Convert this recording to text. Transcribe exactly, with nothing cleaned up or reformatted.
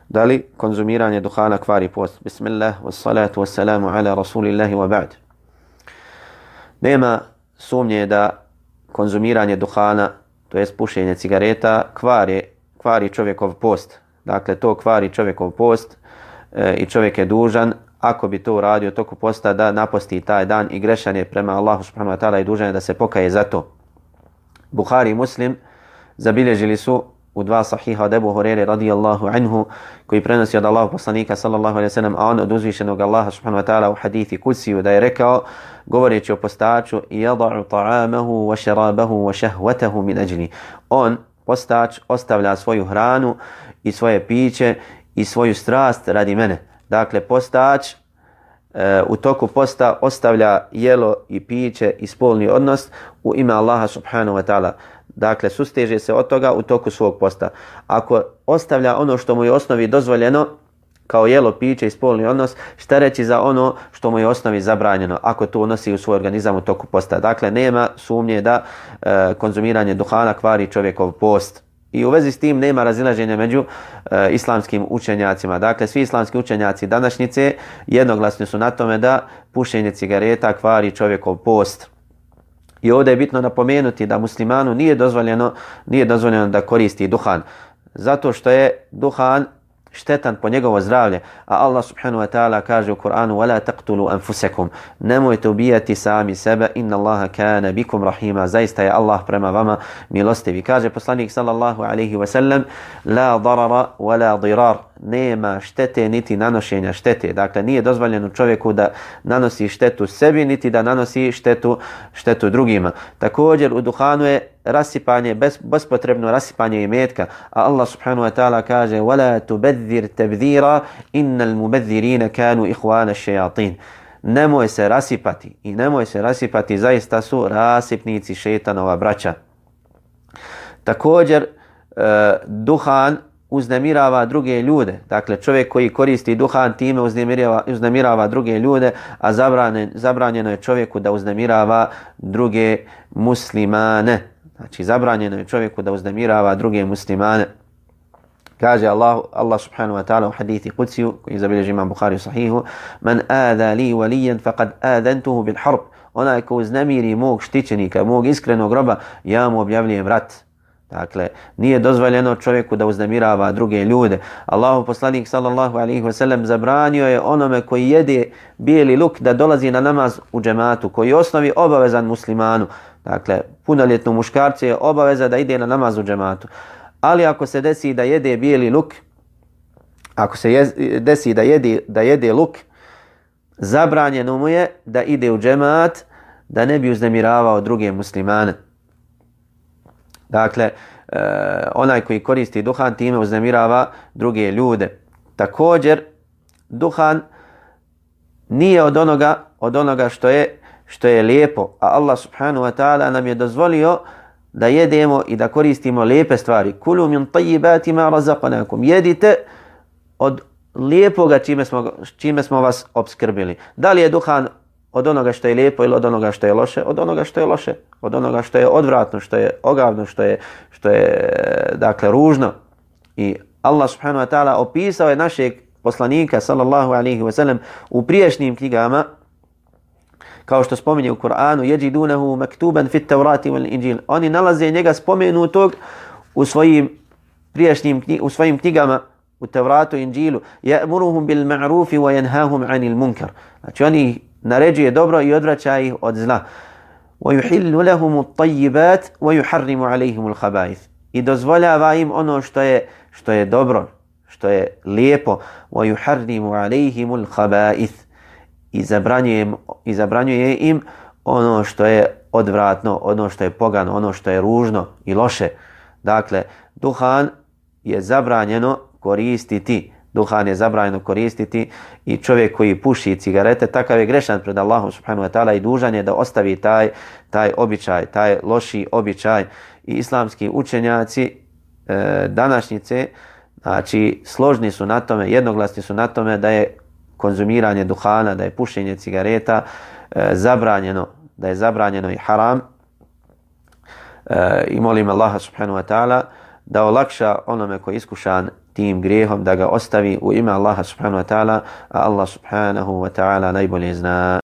Da li konzumiranje duhana kvari post? Bismillah, wassalatu wassalamu ala rasulillahi wa ba'd. Nema sumnje da konzumiranje duhana, to jest pušenje cigareta, kvari, kvari čovjekov post. Dakle, to kvari čovjekov post e, i čovjek je dužan, ako bi to uradio toku posta, da naposti taj dan i grešan je prema Allahu subhanahu wa ta'ala i dužan je da se pokaje za to. Buhari i Muslim zabilježili su u dva sahiha od Ebu Hurere radijallahu anhu, koji prenosi od Allahu poslanika sallallahu alaihi sallam, a on od uzvišenog Allaha subhanahu wa ta'ala u hadithi kudsiju da je rekao, govoreći o postaču, yada'u ta'amahu wa šarabahu wa šahvatahu min ajli. On, postač, ostavlja svoju hranu i svoje piće i svoju strast radi mene. Dakle, postač e, u toku posta ostavlja jelo i piće i spolni odnos u ime Allaha subhanahu wa ta'ala. Dakle, susteže se od toga u toku svog posta. Ako ostavlja ono što mu je osnovi dozvoljeno, kao jelo, piće i spolni odnos, šta reći za ono što mu je osnovi zabranjeno, ako to unosi u svoj organizam u toku posta. Dakle, nema sumnje da e, konzumiranje duhana kvari čovjekov post. I u vezi s tim nema razilaženja među e, islamskim učenjacima. Dakle, svi islamski učenjaci današnjice jednoglasni su na tome da pušenje cigareta kvari čovjekov post. I ovdje je bitno napomenuti da muslimanu nije dozvoljeno, nije dozvoljeno da koristi duhan. Zato što je duhan štetan po njegovo zdravlje. A Allah subhanahu wa ta'ala kaže u Kur'anu وَلَا تَقْتُلُوا أَنفُسَكُمْ Nemojte ubijati sami sebe. Inna Allaha kana bikum rahima. Zaista je Allah prema vama milostivi. Kaže poslanik sallallahu alaihi wa sallam La darara wa la dirar. Nema štete niti nanošenja štete. Dakle, nije dozvoljeno čovjeku da nanosi štetu sebi, niti da nanosi štetu, štetu drugima. Također u duhanu je rasipanje, bez, bespotrebno rasipanje imetka. A Allah subhanahu wa ta'ala kaže وَلَا تُبَذِّرْ تَبْذِيرًا إِنَّ الْمُبَذِّرِينَ كَانُوا إِخْوَانَ الشَّيَاطِينَ Nemoj se rasipati i nemoj se rasipati, zaista su rasipnici šejtanova braća. Također, e, duhan uznemirava druge ljude. Dakle, čovjek koji koristi duhan time uznemirava, uznemirava druge ljude, a zabranjeno, zabranjeno je čovjeku da uznemirava druge muslimane. Znači, zabranjeno je čovjeku da uznemirava druge muslimane. Kaže Allah, Allah subhanahu wa ta'ala u hadithi kudsiju, koji zabilježi imam Buhari u sahihu, Man adha li walijan faqad adantuhu bil harb. Onaj ko uznemiri mog štićenika, mog iskrenog roba, ja mu objavljujem rat. Dakle, nije dozvoljeno čovjeku da uznemirava druge ljude. Allahu poslanik sallallahu alaihi wa sallam zabranio je onome koji jede bijeli luk da dolazi na namaz u džematu, koji je osnovi obavezan muslimanu. Dakle, punoljetnu muškarcu je obaveza da ide na namaz u džematu. Ali ako se desi da jede bijeli luk, ako se je, desi da jede, da jede luk, zabranjeno mu je da ide u džemat, da ne bi uznemiravao druge muslimane. Dakle, e, onaj koji koristi duhan time uznemirava druge ljude. Također, duhan nije od onoga, od onoga što je, što je lijepo, a Allah subhanahu wa ta'ala nam je dozvolio da jedemo i da koristimo lijepe stvari. Kulu min tayyibati ma razaqnakum. Jedite od lijepoga čime smo, čime smo vas obskrbili. Da li je duhan od onoga što je lijepo ili od onoga što je loše? Od onoga što je loše, od onoga što je odvratno, što je ogavno, što je, što je dakle ružno. I Allah subhanahu wa ta'ala opisao je našeg poslanika sallallahu alaihi wa sallam u priješnjim knjigama, kao što spominje u Kur'anu, yajidunahu maktuban fit Taurati wal Injil. Oni nalaze njega spomenutog u svojim prijašnjim u svojim knjigama, u Tauratu i Injilu. Ya'muruhum bil ma'rufi wa yanhahum 'anil munkar. Znači oni naređuje dobro i odvraća ih od zla. Wa yuhillu lahum at-tayyibat wa yuharrimu 'alayhim al-khaba'ith. I dozvoljava im ono što je što je dobro, što je lijepo. Wa yuharrimu 'alayhim al-khaba'ith. I zabranjuje, i zabranjuje im ono što je odvratno, ono što je pogano, ono što je ružno i loše. Dakle, duhan je zabranjeno koristiti. Duhan je zabranjeno koristiti i čovjek koji puši cigarete, takav je grešan pred Allahom subhanahu wa ta'ala i dužan je da ostavi taj, taj običaj, taj loši običaj. I islamski učenjaci e, današnjice, znači, složni su na tome, jednoglasni su na tome da je konzumiranje duhana, da je pušenje cigareta e, zabranjeno, da je zabranjeno i haram. E, I molim Allaha subhanahu wa ta'ala da olakša onome koji je iskušan tim grijehom, da ga ostavi u ime Allaha subhanahu wa ta'ala, a Allah subhanahu wa ta'ala najbolje zna.